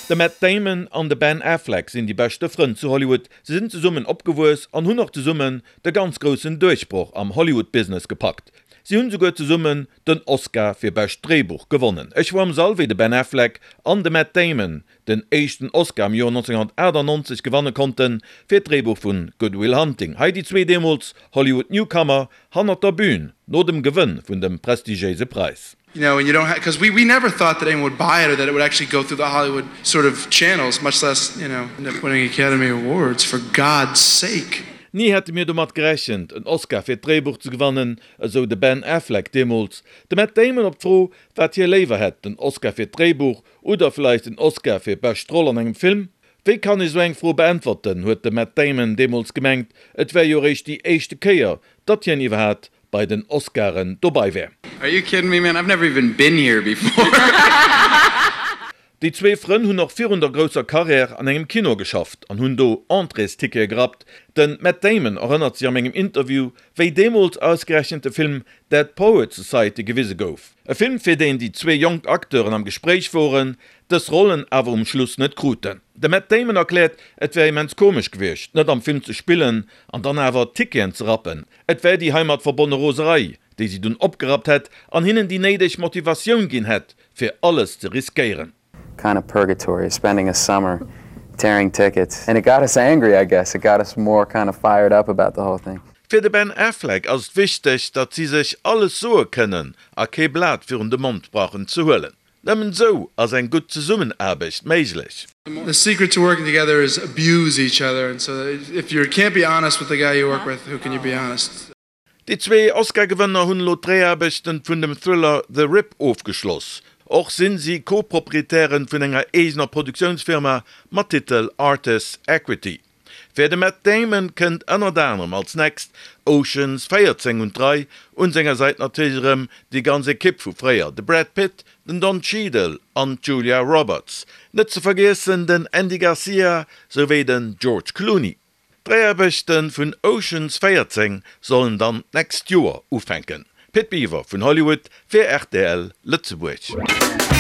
De Matt Damon an de Ben Affleck sinn déi beschte Frënn zu Hollywood. Se sinn zesummen opgewuess an hunn och zesummen de ganz groussen Duerchbroch am Hollywood-Business gepackt. Si hunn souguer zesummen den Oscar fir bescht Dréibuch gewonnen. Ech wor am Sall wéi de Ben Affleck an de Matt Damon den éischten Oscar am Joer 1998 gewanne konnten fir d'Dréibuch vun Good Will Hunting. Hei déi zwee deemools Hollywood Newcomer hannert der Bühn no dem Gewënn vun dem prestigiéise Präis. You know, and you don't have, because we, we never thought that anyone would buy it or that it would actually go through the Hollywood sort of channels, much less, you know, end up winning Academy Awards, for God's sake. Ni hätte mir domat gerechent, en Oscar fir d'Dréibuch ze gewannen, esou de Ben Affleck deemools. De Matt Damon op d'Fro, wat hie léiwer hätt, den Oscar fir d'Dréibuch oder vläicht den Oscar fir bescht Roll an engem Film? Wéi kann ech esou eng Fro beäntwerten, huet de Matt Damon deemools gemengt, et wär jo eréischt déi éischte Kéier, datt hien iwwerhat bei den Oscaren dobai wär. Are you kidding me man, I've never even been here before. Déi zwee Frënn hunn och virun der grousser Karriär an engem Kino geschafft an hunn do Entréestickete gerappt. De Matt Damon erënnert sech am engem Interview, wéi deemools ausgerechent de Film Dead Poets Society gewise gouf. E Film, fir deen déi zwee jonk Acteuren am Gespréich woren, dës Rollen awer um Schluss net kruten. De Matt Damon erkläert, et wär immens komesch gewiescht, net am Film ze spillen an dann awer Ticketen ze rappen. Et wär déi heimat verbonne Roserei, déi si dunn opgerappt hätt an hinnen déi néideg Motivatioun ginn hätt, fir alles ze riskéieren. Kind of purgatory, spending a summer tearing tickets and it got us angry I guess, it got us more kind of fired up about the whole thing. Fir de Ben Affleck ass et wichteg, datt si sech alles soe kënnen a kee Blat virun de Mond brauchen ze huelen. Nëmmen esou ass eng gutt Zesummenaarbecht méiglech. The secret to working together is abuse each other and so if you can't be honest with the guy you work with, who can you be honest? Déi zwee Oscar-Gewënner hunn elo d'Dréiaarbechten vun dem Thriller The Rip ofgeschloss. Och sinn si Co-Proprietären vun enger eegener Produktiounsfirma mat Titel Artists Equity. Fir de Matt Damon kënnt ënnert anerem als next Ocean's 14 un d'Rei, un senger Säit natierlech erëm déi ganz Ekipp vu fréier, de Brad Pitt, den Don Cheadle an d'Julia Roberts. Net ze vergiessen den Andy Garcia souwéi den George Clooney. D'Dréiaarbechte vun Ocean's 14 sollen dann d'nächst Joer ufänken. Pit Biwer vun Hollywood fir rtl Lëtzebuerg.